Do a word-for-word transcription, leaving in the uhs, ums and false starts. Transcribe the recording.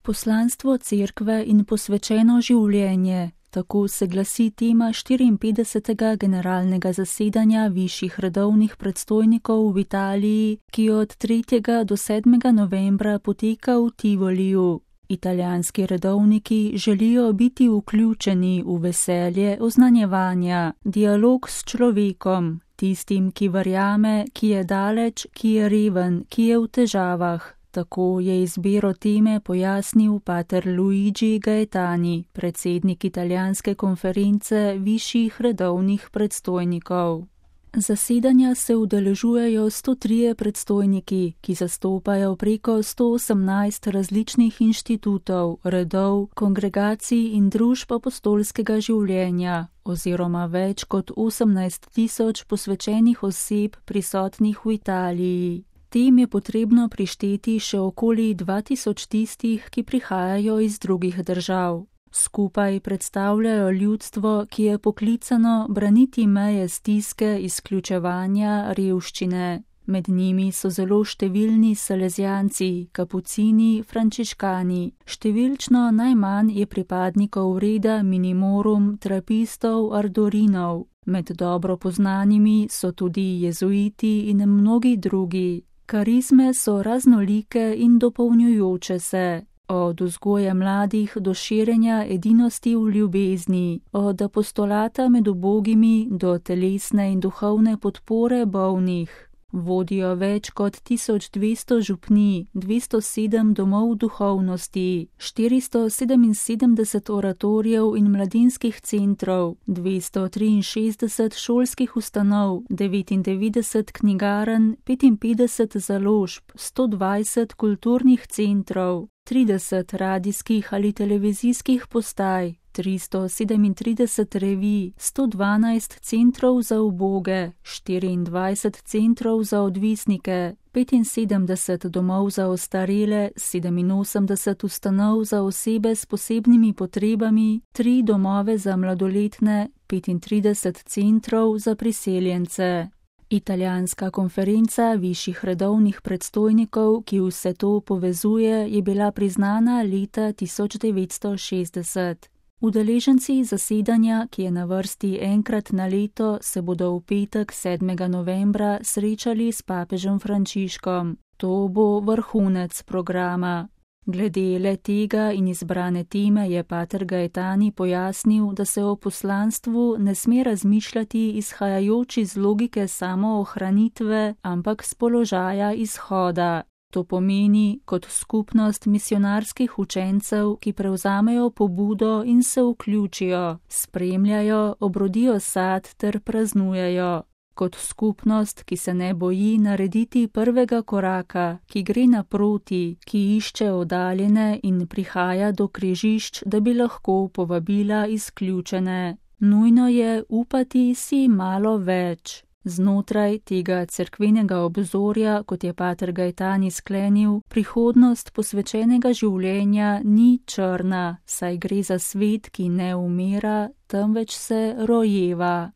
Poslanstvo cerkve in posvečeno življenje. Tako se glasi tema štiriinpetdesetega generalnega zasedanja višjih redovnih predstojnikov v Italiji, ki od tretjega do sedmega novembra poteka v Tivoliju. Italijanski redovniki želijo biti vključeni v veselje oznanjevanja, dialog s človekom, tistim, ki verjame, ki je daleč, ki je reven, ki je v težavah. Tako je izbiro teme pojasnil pater Luigi Gaetani, predsednik italijanske konference višjih redovnih predstojnikov. Zasedanja se udeležujejo sto trije predstojniki, ki zastopajo preko sto osemnajst različnih inštitutov, redov, kongregacij in družb apostolskega življenja, oziroma več kot osemnajst tisoč posvečenih oseb prisotnih v Italiji. Tem je potrebno prišteti še okoli dva tisoč tistih, ki prihajajo iz drugih držav. Skupaj predstavljajo ljudstvo, ki je poklicano braniti meje stiske, izključevanja, revščine. Med njimi so zelo številni salezijanci, kapucini, frančiškani. Številčno najmanj je pripadnikov reda minimorum, trapistov, ardorinov. Med dobro poznanimi so tudi jezuiti in mnogi drugi. Karizme so raznolike in dopolnjujoče se, od vzgoje mladih do širjenja edinosti v ljubezni, od apostolata med ubogimi do telesne in duhovne podpore bolnih. Vodijo več kot tisoč dvesto župnij, dvesto sedem domov duhovnosti, štiristo sedeminsedemdeset oratorijev in mladinskih centrov, dvesto triinšestdeset šolskih ustanov, devetindevetdeset knjigarn, petinpetdeset založb, sto dvajset kulturnih centrov, trideset radijskih ali televizijskih postaj, tristo sedemintrideset revij, sto dvanajst centrov za uboge, štiriindvajset centrov za odvisnike, petinsedemdeset domov za ostarele, sedeminosemdeset ustanov za osebe s posebnimi potrebami, tri domove za mladoletne, petintrideset centrov za priseljence. Italijanska konferenca višjih redovnih predstojnikov, ki vse to povezuje, je bila priznana leta tisoč devetsto šestdeset. Udeleženci zasedanja, ki je na vrsti enkrat na leto, se bodo v petek sedmega novembra srečali s papežem Frančiškom. To bo vrhunec programa. Glede le tega in izbrane teme je pater Gaetani pojasnil, da se o poslanstvu ne sme razmišljati izhajajoč iz logike samoohranitve, ampak z položaja izhoda. To pomeni kot skupnost misionarskih učencev, ki prevzamejo pobudo in se vključijo, spremljajo, obrodijo sad ter praznujejo. Kot skupnost, ki se ne boji narediti prvega koraka, ki gre naproti, ki išče oddaljene in prihaja do križišč, da bi lahko povabila izključene. Nujno je upati si malo več. Znotraj tega cerkvenega obzorja, kot je pater Gaetani sklenil, prihodnost posvečenega življenja ni črna, saj gre za svet, ki ne umira, temveč se rojeva.